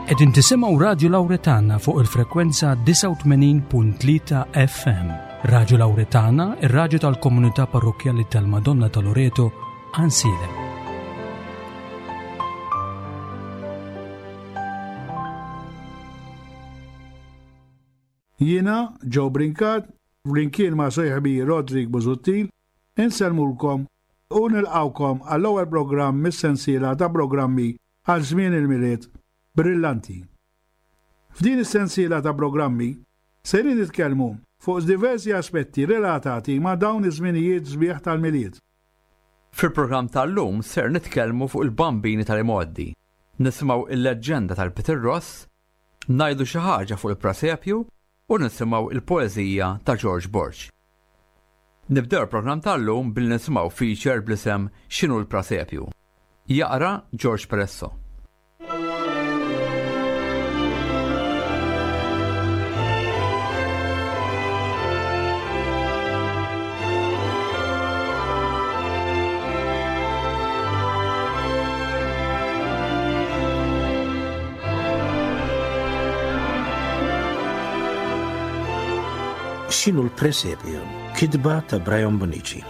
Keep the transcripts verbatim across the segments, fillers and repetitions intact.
Qegħdin tisimgħu Radju Lawretana fuq il-frekwenza disgħa u tmenin punt tlieta F M. Radju Lawretana, ir-radju tal-komunità parrokkjali tal-Madonna ta' Loreto, Għajnsielem. Jiena, Joe Brincat, flimkien ma' sieħbi Roderick Busuttil, insellmulkom u nilqawkom għall-ewwel programm mis-sensiela ta' programmi għal żmien il-Milied Brillanti. F'din is-sensiela ta' programmi sejrin nitkellmu fuq diversi aspetti relatati ma' dawn iż-żminijiet sbieħ tal-Milied. Fil-programm tal-lum ser nitkellmu fuq il-bambini tal-imgħoddi, nisimgħu il-leġġenda tal-Peter Ross, ngħidu xi ħaġa fuq il-presepju u nisimgħu il-poeżija ta' George Borg. Nibdew il-programm tal-lum billi nisimgħu feature bl-isem X'inhu l-Presepju? Jaqra George Peresso. X'inhu l-presepju? Kitba ta' Brian Bonnici.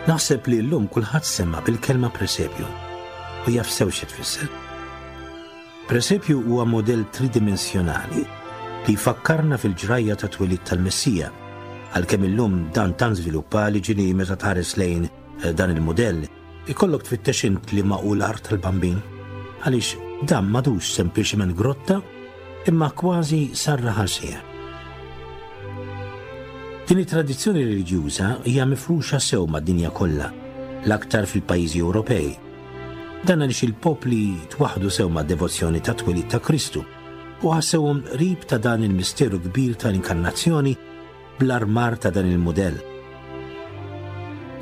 Naħseb li llum kulħadd sema' bil-kelma presepju u jaf sew xi tfisser. Presepju huwa modell tridimensjonali li jfakkarna fil-ġrajja ta' twelid tal-Messija, għalkemm illum dan tant żviluppa li ġieli meta tħares lejn dan il-modell ikollok tfittex int li ma hu l-art tal-bambin, għaliex dan m'għadux sempliċement grotta imma kważi sar raħal sieħ. Din it-tradizzjoni reliġjuża hija mifruxa sew mad-dinja kollha, l-aktar fil-pajjiżi Ewropej. Dan għaliex il-popli twaħdu sew mad-devozzjoni ta' twelid ta' Kristu u ħassewhom qrib ta' dan il-misteru kbir tal-inkarnazzjoni bl-armar ta' dan il-mudell.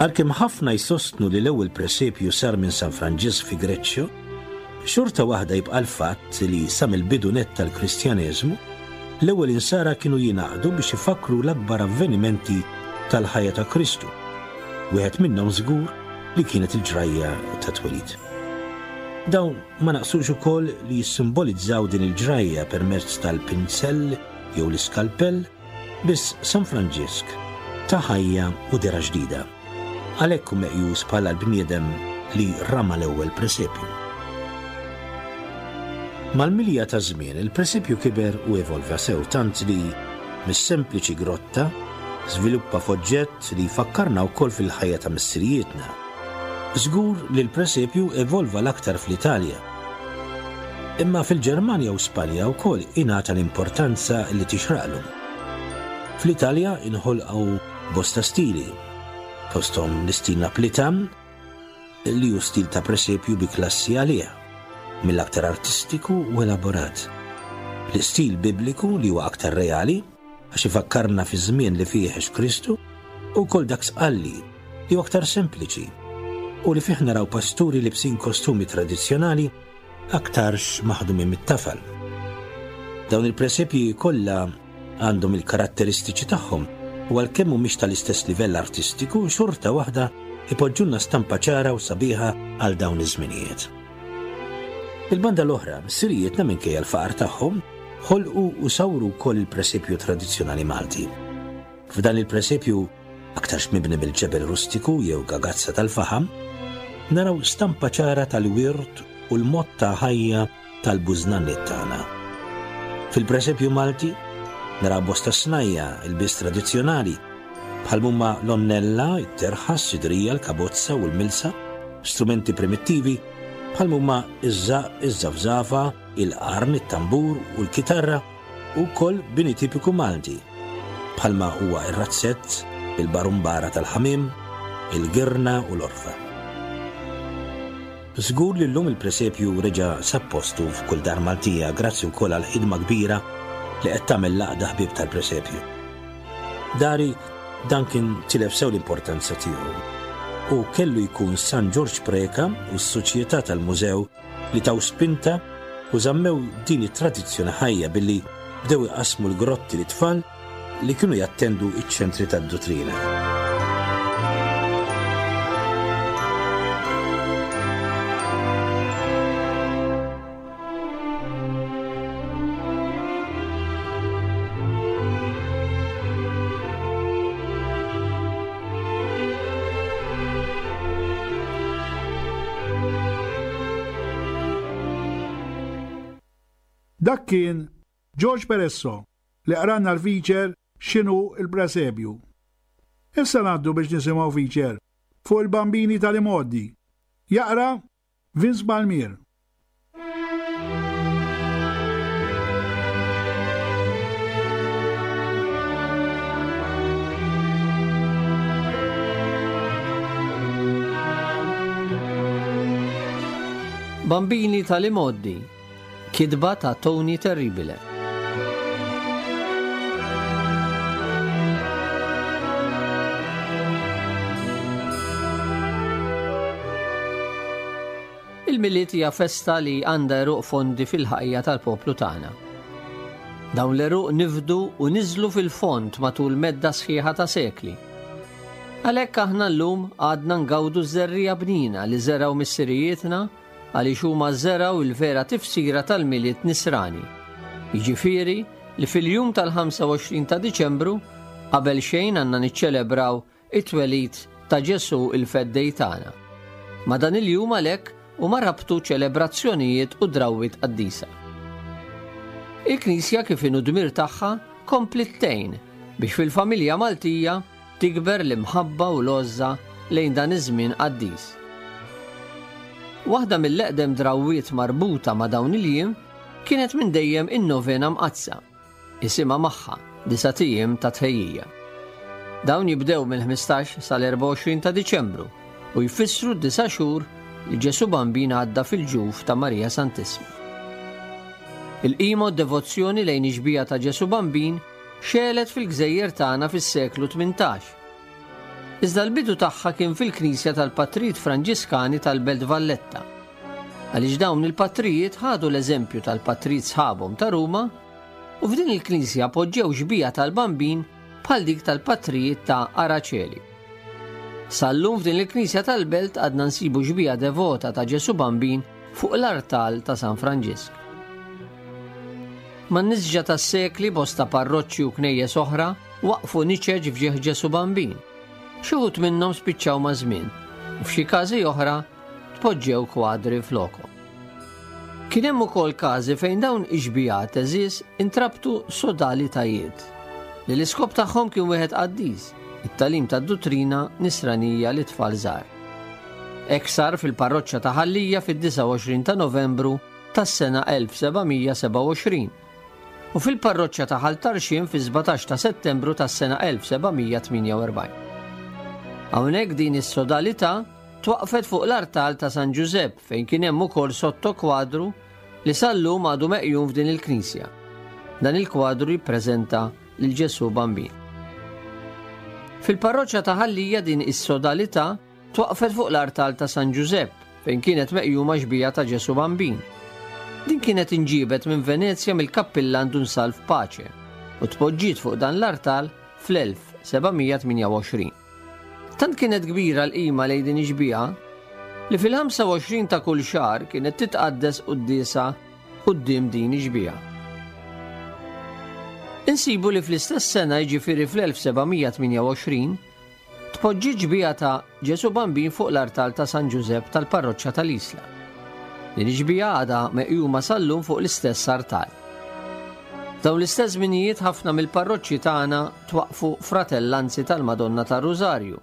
Għalkemm ħafna jsostnu li l-ewwel presepju sar minn San Franġisk fi Greċċjo, xorta waħda jibqa' l-fatt li sa mill-bidu nett tal-Kristjaneżmu, l-ewwel insara kienu jingħaqdu biex ifakkru l-akbar avvenimenti tal-ħajja ta' Kristu. Wieħed minnhom żgur li kienet il-ġrajja ta' twelid. Dawn ma naqsux ukoll li jissimbolizzaw din il-ġrajja permezz tal-pinzell jew l-iskalpell, biss San Franġisk ta' ħajja u dera ġdida. Għalhekk hu meqjus bħala l-bniedem li rama l-ewwel presepju. Mal-milja ta' żmien il-presepju kiber u evolva sew tant li mis-sempliċi grotta żviluppa f'oġġett li jfakkarna wkoll fil-ħajja ta' missirijietna. Żgur li l-presepju evolva l-aktar fl-Italja. Imma fil-Ġermanja u Spanja wkoll ingħata l-importanza li tixraqlu. Fl-Italja inħolqu bosta stili, fosthom l-istil Naplitan, li hu stil ta' presepju bi klassi għalih, mill-aktar artistiku u elaborat. L-istil bibliku li huwa aktar reali, għax ifakkarna fi żmien li fih għex Kristu, u wkoll dak sqalli li huwa aktar sempliċi u li fih naraw pasturi libsin kostumi tradizzjonali aktarx maħdumin mit-tafal. Dawn il-presepji kollha għandhom il-karatteristiċi tagħhom u għalkemm mhumiex tal-istess livell artistiku, xorta waħda ipoġġulna stampa ċara u sabiħa għal dawn iż-żminijiet. Il-banda l-oħra, missirijietna minkejja l-faqar tagħhom, ħolqu u sawru wkoll il-presepju tradizzjonali Malti. F'dan il-presepju, aktarx mibni bil-ġebel rustiku jew gagazza tal-faħam, naraw stampa ċara tal-wirt u l-mod ta' ħajja tal-bużnanniet tagħna. Fil-presepju Malti naraw bosta snajja, il-biss tradizzjonali, bħal huma l-onnella, it-terħa, s-sidrija, l-kabozza u l-milsa, strumenti primittivi, bħal huma iż-żaq, iż-żafżafa, il-qarn, it-tambur u l-kitarra, u wkoll bini tipiku Malti, bħalma huwa ir-razzett, il-barumbara tal-ħamiem, il-girna u l-orfa. Żgur li llum il-presepju reġa' sab postu f'kull dar Maltija grazzi wkoll għal ħidma kbira li qed tagħmel l-għaqda ħbieb tal-presepju. Dari dan kien tilef sew l-importanza tiegħu u kellu jkun San Ġorġ Preca u s-Soċjetà tal-Mużew li taw spinta u żammew din it-tradizzjoni ħajja billi bdew iqasmu l-grotti lit-tfal li kienu jattendu iċ-ċentri tad-duttrina. Dak kien George Peresso li qranna l-feature X'inhu l-Presepju. Issa ngħaddu biex nisimgħu feature fuq il-bambini tal-imgħoddi. Jaqra Vince Palmier. Bambini tal-imgħoddi, kitba ta' Tony Terribile. Il-Milied hija festa li għandha għeruq fondi fil-ħajja tal-poplu tagħna. Dawn l-għeruq nifdu u niżlu fil-fond matul medda sħiħa ta' sekli. Għalhekk aħna llum għadna ngawdu ż-żerriegħa bnina li żergħu missirijietna għaliex huma żergħu il-vera tifsira tal-Milied nisrani. Jiġifieri li fil-jum tal-ħamsa u għoxrin ta' Diċembru qabel xejn għandna niċċelebraw it-twelid ta' Ġesu il-Feddej tagħna. Ma' dan il-jum għalhekk huma rabtu ċelebrazzjonijiet u drawwiet qaddisa. Il-Knisja kif inhu dmir tagħha kompliet tgħin biex fil-familja Maltija tikber l-imħabba u l-għożża lejn dan iż-żmien qaddis. Waħda mill-eqdem drawwiet marbuta ma' dawn il-jiem kienet minn dejjem in-novena mqaddsa, isimha magħha disa' ijiem ta' tħejjija. Dawn jibdew mill-ħmistax sal-erbgħa u għoxrin ta' Diċembru u jfissru disa' xhur li Ġesu Bambin għadda fil-ġuf ta' Marija Santissima. Il-qima u d-devozzjoni lejn ix-xbieha ta' Ġesu Bambin xelet fil-gżejjer tagħna fis-seklu tmintax. Iżda l-bidu tagħha kien fil-Knisja tal-Patrijiet Franġiskani tal-Belt Valletta. Għaliex dawn il-patrijiet ħadu l-eżempju tal-patrijiet sħabhom ta' Ruma u f'din il-Knisja poġġew xbieha tal-Bambin bħal dik tal-patrijiet ta' Araceli. Sal-lum f'din il-Knisja tal-Belt għadna nsibu xbieha devota ta' Ġesu Bambin fuq l-artal ta' San Franġisk. Man-nisġa tas-sekli bosta parroċċi u knejjes oħra waqfu niċeġ f'ġieħ Ġesu Bambin. Xi wħud minnhom spiċċaw ma' żmien u f'xi każi oħra tpoġġew kwadri flokhom. Kien hemm ukoll każi fejn dawn ix-xbiehat għeżież intrabtu sodalitajiet li l-iskop tagħhom kien wieħed qaddis, it-tagħlim tad-duttrina nisranija li tfal żgħar. Hekk sar fil-parroċċa ta' Ħal Lija fid-disa u għoxrin ta' Novembru tas-sena elf seba' mija seba' u għoxrin u fil-parroċċa ta' Ħal Tarxien fis-sbatax ta' Settembru tas-sena elf seba' mija tmienja u erbgħin. Hawnhekk din is-sodalità twaqfet fuq l-artal ta' San Ġużepp fejn kien hemm ukoll sotto kwadru li sal-lum għadu meqjum f'din il-knisja. Dan il-kwadru jippreżenta lil Ġesu Bambin. Fil-parroċċa ta' Ħal Lija din is-sodalità twaqfet fuq l-artal ta' San Ġużepp fejn kienet meqjuma xbieha ta' Ġesu Bambin. Din kienet inġiebet minn Venezja mill-kappillan Dun Salv Pace u tpoġġiet fuq dan l-artal fl-elf seba' mija tmienja u għoxrin. Tant kienet kbira l-qima lejn din ix-xbieha li fil-ħamsa u għoxrin ta' kull xahar kienet titqaddes quddiesa quddiem din ix-xbieha. Insibu li fl-istess sena, jiġifieri fl-elf seba' mija tmienja u għoxrin, tpoġġi xbieha ta' Ġesu Bambin fuq l-artal ta' San Ġużepp tal-parroċċa tal-Isla. Din ix-xbieha għadha meqjuma sal-lum fuq l-istess artal. Dawn l-istess żminijiet ħafna mill-parroċċi tagħna twaqfu fratellanzi tal-Madonna tar-Rużarju.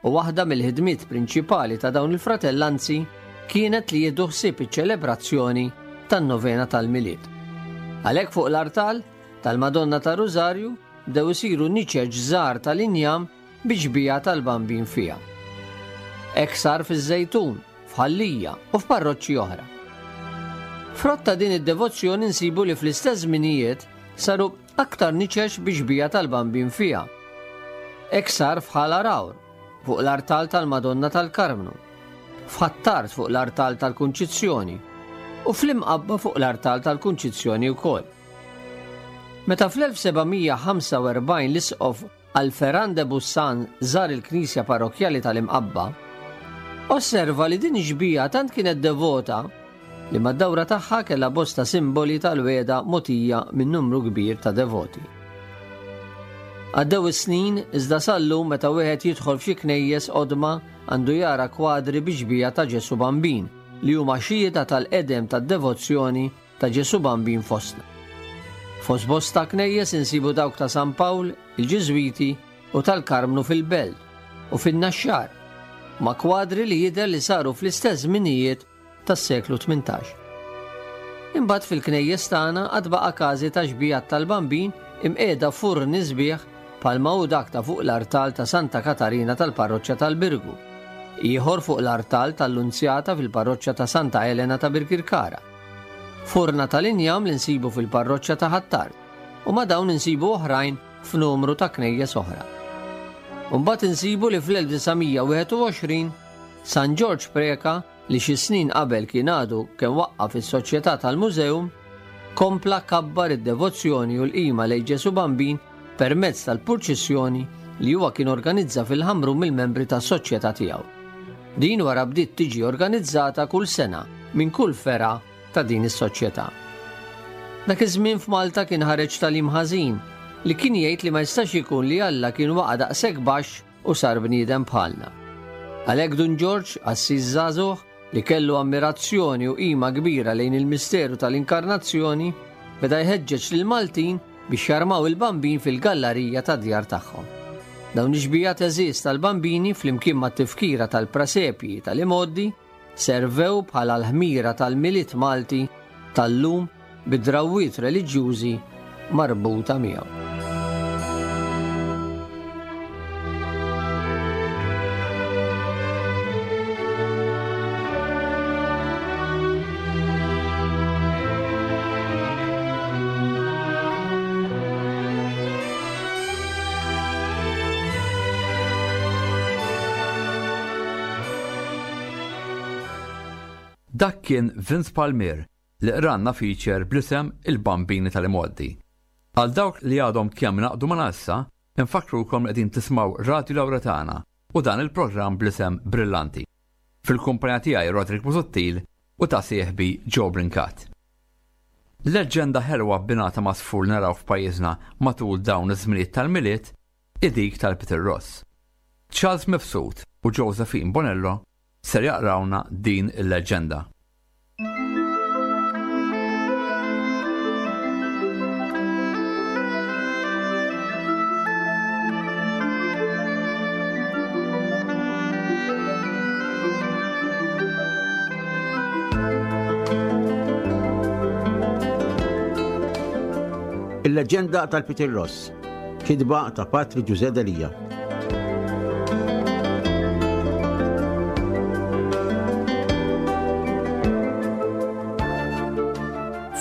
U waħda mill-ħidmiet prinċipali ta' dawn il-fratellanzi kienet li jieħdu ħsieb iċ-ċelebrazzjoni tan-novena tal-Milied. Għalhekk fuq l-artal tal-Madonna tar-Rużarju bdew isiru niċeġ żgħar tal-injam bi xbieha tal-Bambin fiha. Hekk sar fiż-Żejtun, f'Ħal Lija u f'parroċċi oħra. Frott ta' din id-devozzjoni nsibu li fl-istess żminijiet saru aktar niċex bi xbieha tal-Bambin fiha. Hekk sar f'Ħal Għargħur, fuq l-artal tal-Madonna tal-Karmnu, f'Ħ'Attard fuq l-artal tal-Kunċizzjoni u fl-Imqabba fuq l-artal tal-Kunċizzjoni wkoll. Meta fl-elf seba' mija ħamsa u erbgħin l-isqof Alpheran de Bussan żar il-knisja parrokkjali tal-Imqabba, osserva li din ix-xbieha tant kienet devota li mad-dawra tagħha kellha bosta simboli tal-wegħda mogħtija minn numru kbir ta' devoti. Għaddew is-snin iżda sal-lum meta wieħed jidħol f'xi knejjes qodma għandu jara kwadri bi xbieha ta' Ġesu Bambin li huma xhieda tal-qedem tad-devozzjoni ta' Ġesu Bambin fostna. Fost bosta knejjes insibu dawk ta' San Pawl, il-Ġiżwiti u tal-Karmnu fil-Belt u fin-Naxxar, ma' kwadri li jidher li saru fl-istess żminijiet tas-seklu tmintax. Imbagħad fil-knejjes tagħna għad baqa' każi ta' xbiehat tal-Bambin imqiegħda furni sbieħ bħalma hu dak ta' fuq l-artal ta' Santa Katarina tal-Parroċċa tal-Birgu, ieħor fuq l-artal tal-Lunzjata fil-Parroċċa ta' Santa Elena ta' Birkirkara, furna tal-injam li nsibu fil-Parroċċa ta' Ħ'Attard, u ma' dawn insibu oħrajn f'numru ta' knejjes oħra. Imbagħad insibu li fl-elf disa' mija wieħed u għoxrin San Ġorġ Preca, li xi snin qabel kien għadu kemm waqqaf is-Soċjetà tal-Museum, kompla kabbar id-devozzjoni u l-qima lejn Ġesu Bambin permezz tal-purċissjoni li huwa kien organizza fil-Ħamrun mill-membri tas-soċjetà tiegħu. Din wara bdiet tiġi organizzata kull sena minn kull fergħa ta' din is-soċjetà. Dak iż-żmien f'Malta kien ħareġ tagħlim ħażin li kien jgħid li ma jistax ikun li Alla kien waqa' daqshekk baxx u sar bniedem bħalna. Għalhekk Dun Ġorġ, qassis żagħżugħ, li kellu ammirazzjoni u qima kbira lejn il-misteru tal-inkarnazzjoni, beda jħeġġeġ lill-Maltin biex jarmaw il-bambin fil-gallarija tad-djar tagħhom. Dawn ix-xbiehat għeżież tal-bambini flimkien mat-tifkira tal-prasepji tal-imgħoddi servew bħala l-ħmira tal-Milied Malti tal-lum bid-drawwiet reliġjużi marbuta miegħu. Dak kien Vince Palmier li qranna feature bl-isem Il-Bambini tal-Imgħoddi. Għal dawk li għadhom kemm naqdu ma' issa, infakkrukom li qegħdin tismgħu Radio Lauretana u dan il-programm bl-isem Brillanti. Fil-kumpanija tiegħi Roderick Busuttil u ta' sieħbi Joe Brincat. Leġġenda ħelwa abbinata ma' sfur naraw f'pajjiżna matul dawn iż-żminijiet tal-Milied hi dik tal-Peter Ross. Charles Mifsud u Josephine Bonello ser jaqrawna din il-leġġenda. Il-leġġenda tal-Peter Ross, kitba ta' Patri Ġużè Delia.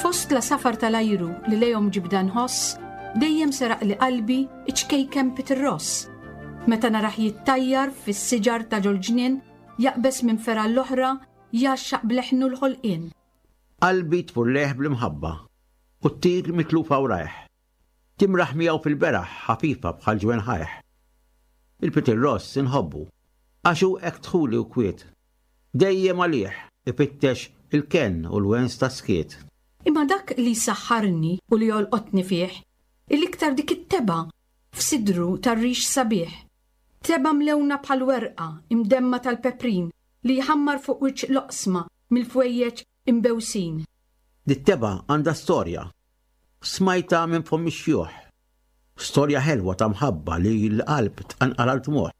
Fost la safar tal-ajru li lejhom ġibda nħoss, dejjem seraq li qalbi iċ-ċkejken Peter Ross. Meta naraħ jittajjar fis-siġar ta' ġol-ġnien, jaqbes minn fergħa l-oħra, jgħaxxaq bleħnu l-ħolqien. Qalbi tfur leħ bl-imħabba u ttir mitlufa wrajh. Timraħ miegħu fil-beraħ ħafifa bħal ġwen ħajh. Il-Peter Ross inħobbu, għax hu hekk dħuli u kwiet. Dejjem għalih ifittex il-kenn u l-wens ta' skiet. Imma dak li saħħarni u li jolqotni fih, il-iktar dik it-teba f'sidru tar-rix sabiħ. Teba mlewna bħal werqa imdemma tal-peprin li jħammar fuq wiċċ loqsma mill-fwejjeġ imbewsin. Dit-teba għandha storja. Smajta minn fomm ix-xjuħ. Storja ħelwa ta' mħabba li l-qalb tqanqal għal tmuħ.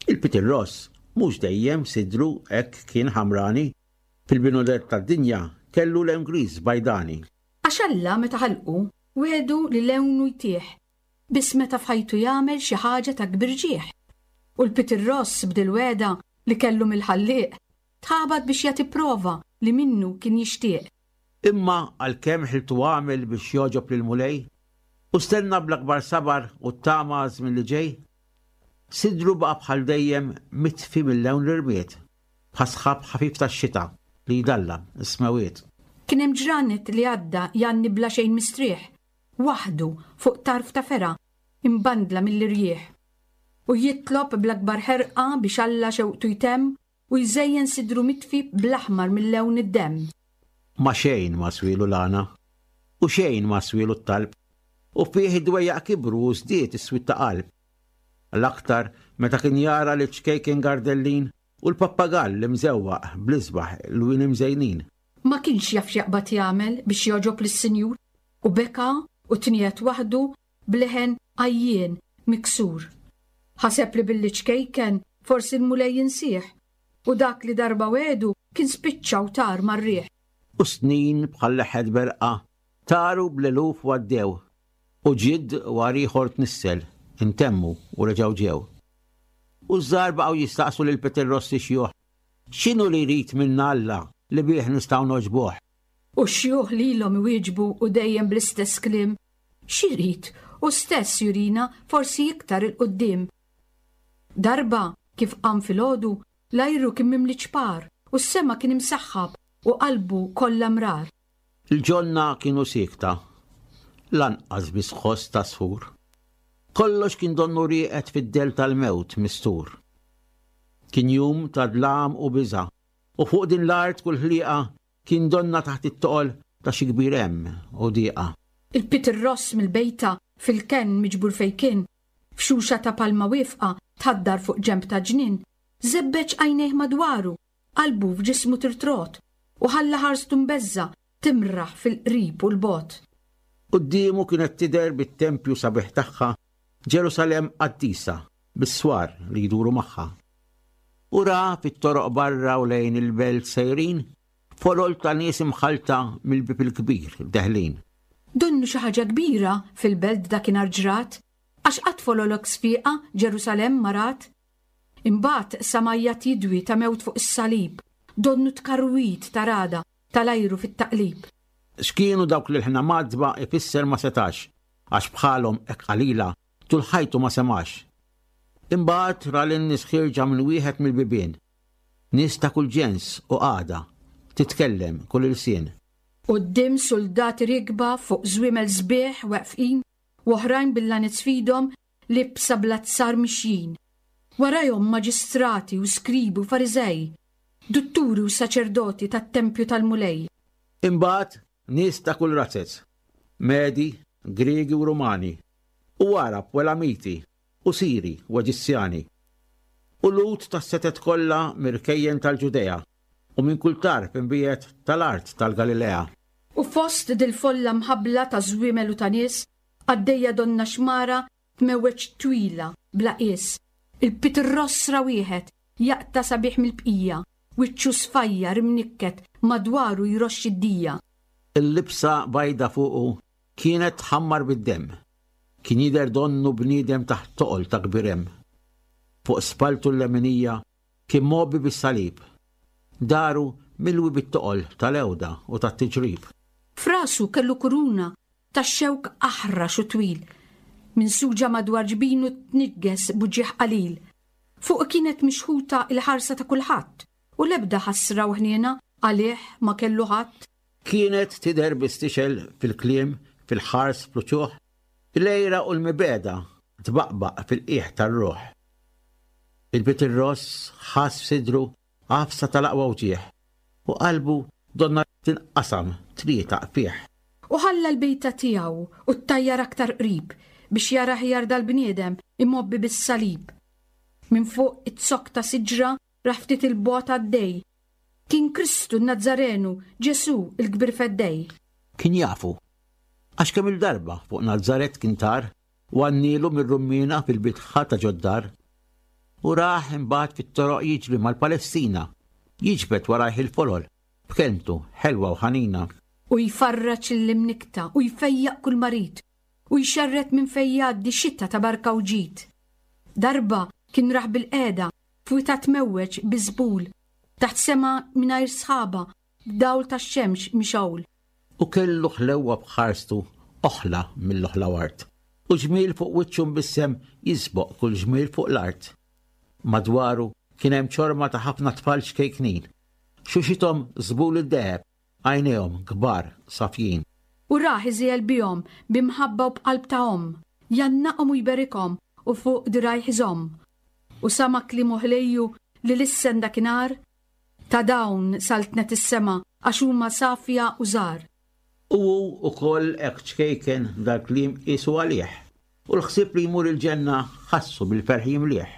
Il-Peter Ross mhux dejjem sidru hekk kien ħamrani. Fil-binudet tad-dinja kellu lewn griż bajdani. Għax Alla meta ħalqu wedu li lewnu jtieħ, biss meta f'ħajtu jagħmel xi ħaġa ta' kbir ġieħ. U l-Peter Ross bdil weda li kellu mill-ħallieq, tħabat biex jagħti prova li minnu kien jixtieq. Imma għalkemm ħiltu għamel biex jogħġob lil Mulej, u stenna bl-akbar sabar u t-tama żmien li ġej, sidru baqa' bħal dejjem mitfi mill-lewn l-irmied, bħasħab ħafif tax-xita li jdallam is-smewiet. Kien hemm ġranet li għadda jgħanni bla xejn mistrieħ, waħdu fuq tarf ta' fergħa imbandla mill-irjieħ. U jitlob bl-akbar ħerqa biex Alla xewqtu jtemm u jżejjen sidru mitfi bl-aħmar mill-lewn id-demm. Ma xejn ma swielu l-għana, u xejn ma swielu t-talb, u fih id-dwejjaq kibru u żdied is-swied ta' qalb. L-aktar meta kien jara li ċkejken Gardellin u l-pappagall li mżewwaq bl-isbaħ lwien imżejnin. Ma kienx jaf x'jaqbad jagħmel biex jogħġob lis-Sinjur u beka u tniegħed waħdu b'leħen għajjien miksur. Ħaseb li billi ċkejken forsi l-Mulej jinsih u dak li darba wegħdu kien spiċċa u tar mar-riħ. U snin bħal leħħet berqa taru bl-eluf u għaddew u ġidd wara ieħor tnissel, intemmu u reġgħu ġew. U ż-żgħar baqgħu jistaqsu lil Peter Rossi xjuħ, x'inhu li jrid minna Alla li bih nistgħu nogħġbuh? U x-xjuħ lilhom iwieġbu u dejjem bl-istess kliem, x'irid hu stess jurina forsi iktar 'il quddiem. Darba kif qam filgħodu, l-ajru kien mimli ċpar u s-sema kien imsaħħab u qalbu kollha mrar. Il-ġonna kienu siekta, lanqas biss ħoss ta' sfur. Kollox kien donnu rieqed fid-dell tal-mewt mistur. Kien jum ta' dlam u biża', u fuq din l-art kull ħliqa kien donna taħt it-toqol ta' xi kbir hemm u dieqa. Il-Peter Ross mill-bejta fil-kenn miġbur fejn kien, f'xuxa ta' palma wieqfa tħaddar fuq ġenb ta' ġnien, żebbeġ għajnejh madwaru, qalbu f'ġismu tirtrot, u ħalla ħarstu mbeżża' timraħ fil-qrib u l-bogħod. Quddiemu kienet tidher bit-tempju sabiħ tagħha Ġerusalemm qaddisa bis-swar li jduru magħha. U ra fit-toroq barra u lejn il-belt sejrin folol ta' nies imħallta mill-bieb il-kbir deħlin. Donnu xi ħaġa kbira fil-belt dakinhar ġrat, għax qatt folol hekk sfiqa Ġerusalemm ma rat. Imbagħad sama' għajat jidwi ta' mewt fuq is-salib, donnu tkarwit ta' rada tal-ajru fit-taqlib. X'kienu dawk li ħna madba ifisser ma setax, għax bħalhom hekk qalila tul ħajtu ma semax. Imbagħad ra lin-nies ħierġa minn wieħed mill-bibien. Nies ta' kull ġens u qagħda, titkellem kull ilsien. Quddiem soldati rikba fuq żwiemel sbieħ weqfin u oħrajn bil-lanez f'idhom libsa bl-azzar mixjin. Warajhom maġistrati u skribi u fariżej, dutturi u saċerdoti tat-tempju tal-Mulej. Imbagħad nies ta' kull razzez, Medi, Griegi u Rumani, u Għarab u Elamiti, u Siri u Eġizzjani, u Lhud tas-setet kollha mirkejjen tal-Ġudea, u minn kull tarf imbiegħed tal-art tal-Galilea. U fost dil-folla mħabbla ta' żwiemel u ta' nies, għaddejja donna xmara tmewweġ twila bla qies. Il-Peter Ross ra wieħed jaqta' sabiħ mill-bqija, wiċċu sfajjar imnikket madwaru jroxx id-dija. Il-libsa bajda fuqu kienet tħammar bid-demm. Kien jidher donnu bniedem taħt toqol ta' kbir hemm. Fuq spaltu l-leminija kien mgħobbi bis-salib. Daru milwi bit-toqol tal-ewda u tat-tiġrib. F'rasu kellu kuruna tax-xewk aħrax u twil. Minsuġa madwar ġbinu tnigges buġieħ qalil. Fuq kienet mixħuta il-ħarsa ta' kulħadd u l-ebda ħasra u ħniena għalih ma kellu ħadd. Kienet tidher bistixel fil-kliem, fil-ħars, fl-uċuħ, il-għira u l-mibegħda tbaqbaq fil-qiegħ tar-ruħ. Il-Peter Ross ħass f'sidru għafsa tal-aqwa wġigħ u qalbu donna tinqasam tlieta fih. U ħalla l-bejta tiegħu u ttajjar aktar qrib biex jara ħjar dal-bniedem imgħobbi bis-salib. Minn fuq it-zokk ta' siġra raħ ftit il-bogħod għaddej. Kien Kristu n-Nazzarenu, Ġesu il-kbir feddej. Kien jafu, għax kemm il-darba fuq Nazzaret kien tar u għannilu mir-rummina fil-bitħa ta' ġoddar. U raħ imbagħad fit-toroq jiġri mal-Palestina, jiġbed warajh il-folol, b'kelmtu ħelwa u ħanina. U jfarraġ l-imnikta u jfejjaq kull marid u jxerred minn fejn jgħaddi xita ta' barka u ġid. Darba kien raħ bil-qeda f'wita tmewweġ biżbul, taħt sema mingħajr sħaba, b'dawl tax-xemx mixgħul. U kellu ħlewwa b'ħarstu oħla mill-oħla wart, u ġmiel fuq wiċċu mbissem jisboq kull ġmiel fuq l-art. Madwaru kien hemm ċorma ta' ħafna tfal ċkejknin, xuxithom żbul id-deheb, għajnejhom kbar safjin. U rah iżiegħel bihom b'imħabba u b'qalb ta' omm, jgħannaqhom u jberikhom u fuq dirgħajh iżomm. U sama' kliemu ħlejju li lissen dakinhar, ta' dawn saltnet is-sema għax huma safja u żgħar. U hu wkoll hekk ċkejken dal-kliem qiesu għalih, u l-ħsieb li jmur il-ġenna ħassu bil-ferħ jimlieh.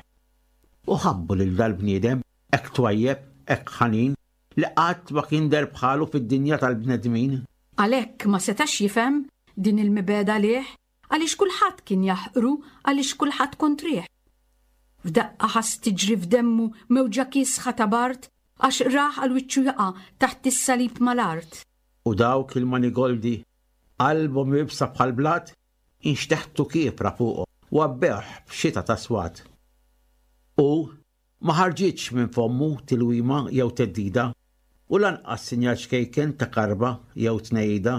U ħabbu lil dal-bniedem hekk twajjeb, hekk ħanin, li qatt ma kien deher bħalu fid-dinja tal-bnedmin. Għalhekk ma setax jifhem din il-mibegħda lih, għaliex kulħadd kien jaħqru, għaliex kulħadd kontrih. F'daqqa ħass tiġri f'demmu mewġa kiesħa ta' bard, għax rah għal wiċċu jaqa' taħt is-salib mal-art. U dawk il-manigoldi, qalbhom iebsa bħal blat, inxteħtu kiefra fuqu u għabbewh b'xita ta' swat. U ma ħarġitx minn fommu tilwima jew theddida, u lanqas sinjal ċkejken ta' karba jew tnejda.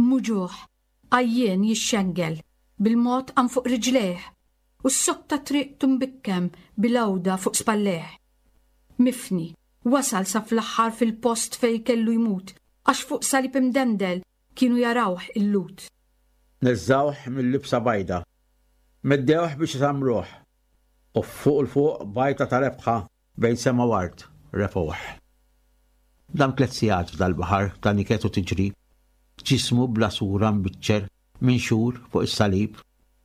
Muġugħ, għajjien jixxengel, bil-mod qam fuq riġlejh, u s-sokta triqtu mbikkem bil-għawda fuq spallejh. Mifni, wasal sa fl-aħħar fil-post fej kellu jmut, għax fuq salib imdendel kienu jarawh il-Lhud. Neżżawh mill-libsa bajda, meddewh biex isamruh, u fuq il-fuq bajta ta' rebħa bejn sema u art refgħuh. Dam tliet sigħat f'dal-baħar ta' niket u tiġrib, ġismu bla sura mbiċċer minn xhur fuq is-salib.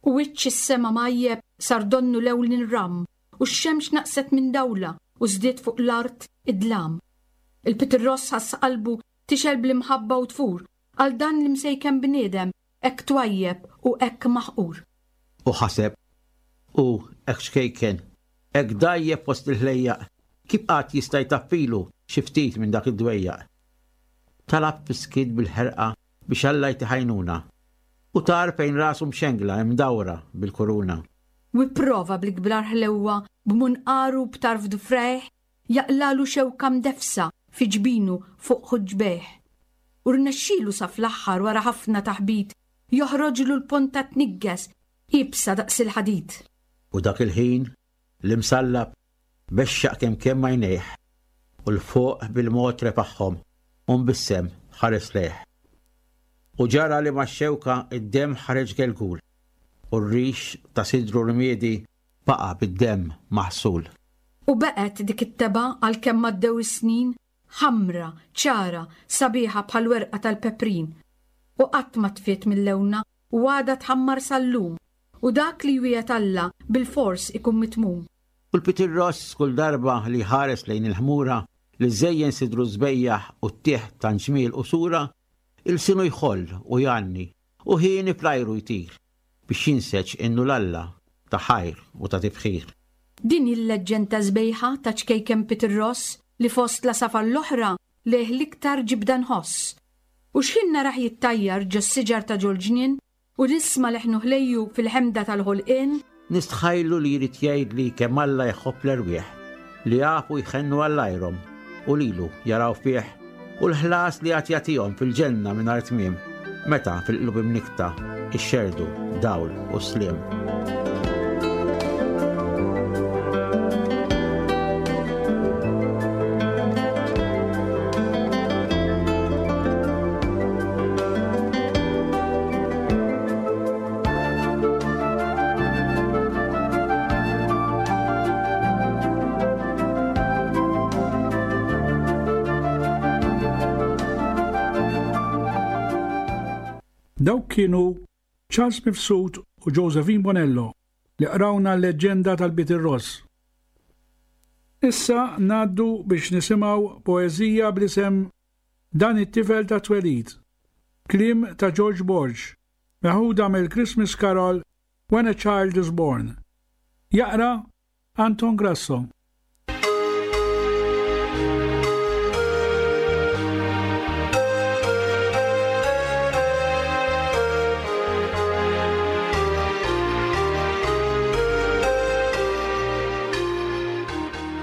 U wiċċ is-sema mgħajjeb sar donnu lewn inram, u x-xemx naqset minn dawla u żdied fuq l-art id-dlam. Il-Pitirross ħass qalbu tixgħel bl-imħabba u tfur għal dan l-imsejken bniedem hekk twajjeb u hekk maħqur. U ħaseb, u hekk xkejken, hekk dgħajjef fost il-ħlejjaq, kif qatt jista' jtaffilu xi ftit minn dak id-dwejjaq. Talab fis-skiet bil-ħerqa biex Alla jtih għajnuna, u tar fejn rasu mxengla imdawra bil-kuruna. U pprova bl-ikbar ħlewwa b'munqaru b'tarf dufrejh jaqlalu xewka mdefsa fi ġbinu fuq ħuġbejh. U rnexxielu sa fl-aħħar wara ħafna taħbit joħroġlu l-ponta tnigges iebsa daqs il-ħadid. U dak il-ħin l-imsallab bexxaq kemm kemm għajnejh u l-fuq bil-mod refaħħom u mbissem ħares lejh. U ġara li max-xewka id-demm ħareġ gelgul u r-rix ta' sidru rmiedi baqa' bid-demm maħsul. U baqgħet dik it-tebgħa għalkemm għaddew is-snin, ħamra, ċara, sabiħa bħal werqa tal-peprin. U qatt ma tfiet mill-lewna u għadha tħammar sal-lum, u dak li jwiegħed Alla bil-fors ikun mitmum. U l-Pitirross kull darba li ħares lejn il-ħmura li żejjen sidru żbejjaħ u ttieħ ta' ġmiel u sura, ilsinu jħoll u jgħanni u ħieni fl-ajru jtir biex jinseġ innu l-Alla ta' ħajr u ta' tifħir. Din hi l-leġġenda sbejħa ta' ċkejken Pitirross li fost la safar l-oħra lejh l-iktar ġibda nħoss. U x'ħin narah jittajjar ġo s-siġar ta' ġol-ġnien u nisma' leħnu ħlejju fil-ħemda tal-ħolqien, nistħajlu li jrid jgħidli kemm Alla jħobb l-erwieħ li jafu jħennu għall-ajrom u lilu jaraw fih u l-ħlas li għad jagħtihom fil-ġenna mingħajr tmiem meta fil-qlub imnikta ixxerdu dawl u sliem. Dawk kienu Charles Mifsud u Josephine Bonello li qrawna l-leġġenda tal-Pitirross. Issa ngħaddu biex nisimgħu poeżija bl-isem Dan it-tifel ta' twelid, kliem ta' George Borg, meħuda mill-Christmas Carol When a Child is Born. Jaqra Anton Grasso.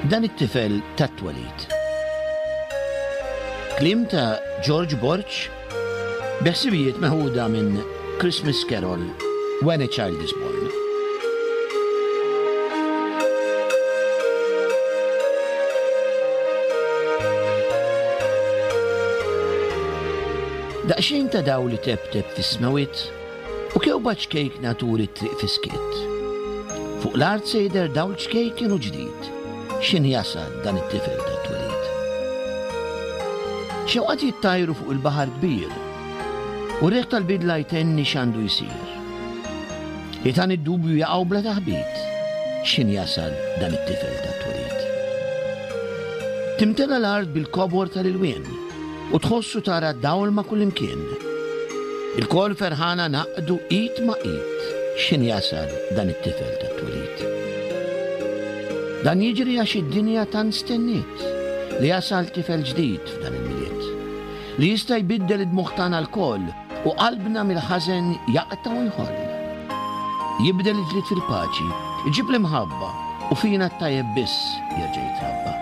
Dan it-tifel tat-twelid. Kliem ta' George Borg, beħsibijiet meħuda minn Christmas Carol, When a Child is Born. Daqsxejn ta' dawl li teptep fis-smewwiet u kewba ċkejkna turi t-triq fis-skiet. Fuq l-art se jidher dawl ċkejken u ġdid, x'in jasal dan it-tifel tat-twelid. Xewqat jittajru fuq il-baħar kbir u r-riħ tal-bidla jtenni x'għandu jsir. Ħitan id-dubju jaqgħu bla taħbit, x'in jasal dan it-tifel tat-twelid. Timtela l-art bil-kobor tal-ilwien u tħossu tara dawl ma' kullimkien. Ilkoll ferħana naqdu id ma' id, x'in jasal dan it-tifel tat-twelid. Dan jiġri għax id-dinja tant stenniet li jasal tifel ġdid f'dan il-Milied, li jista' jbiddel id-dmugħ tagħna lkoll u qalbna mill-ħażen jaqta' u jħoll. Jibdel il-ġlied fil-paċi, iġib l-imħabba u fina t-tajjeb biss jerġa' jitrabba.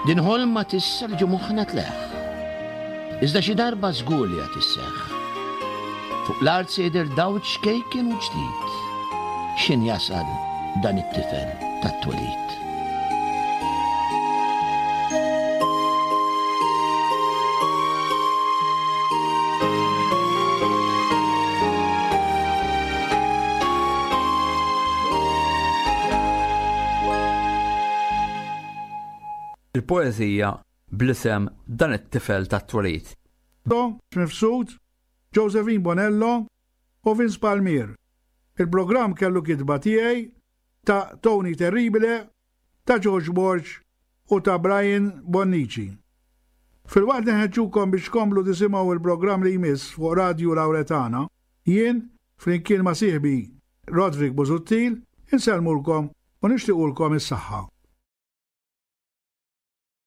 Din ħolma tissa li ġo moħħna tleħħ, iżda xi darba żgur li għad isseħħ. Fuq l-art se jidher dawl ċkejken u ġdid, x'in jasal dan it-tifel tat-twelid. Il-poeżija bl-isem Dan it-tifel tat-twelid. Mifsud, Josephine Bonello u Vince Palmier. Il-programm kellu kitba tiegħi ta' Tony Terribile, ta' George Borg u ta' Brian Bonnici. Filwaqt li nħeġġukom biex tkomplu tisimgħu il-programm li jmiss fuq Radio Lauretana, jien flimkien ma' sieħbi Roderick Busuttil insellmulkom u nixtiequlkom is-saħħa.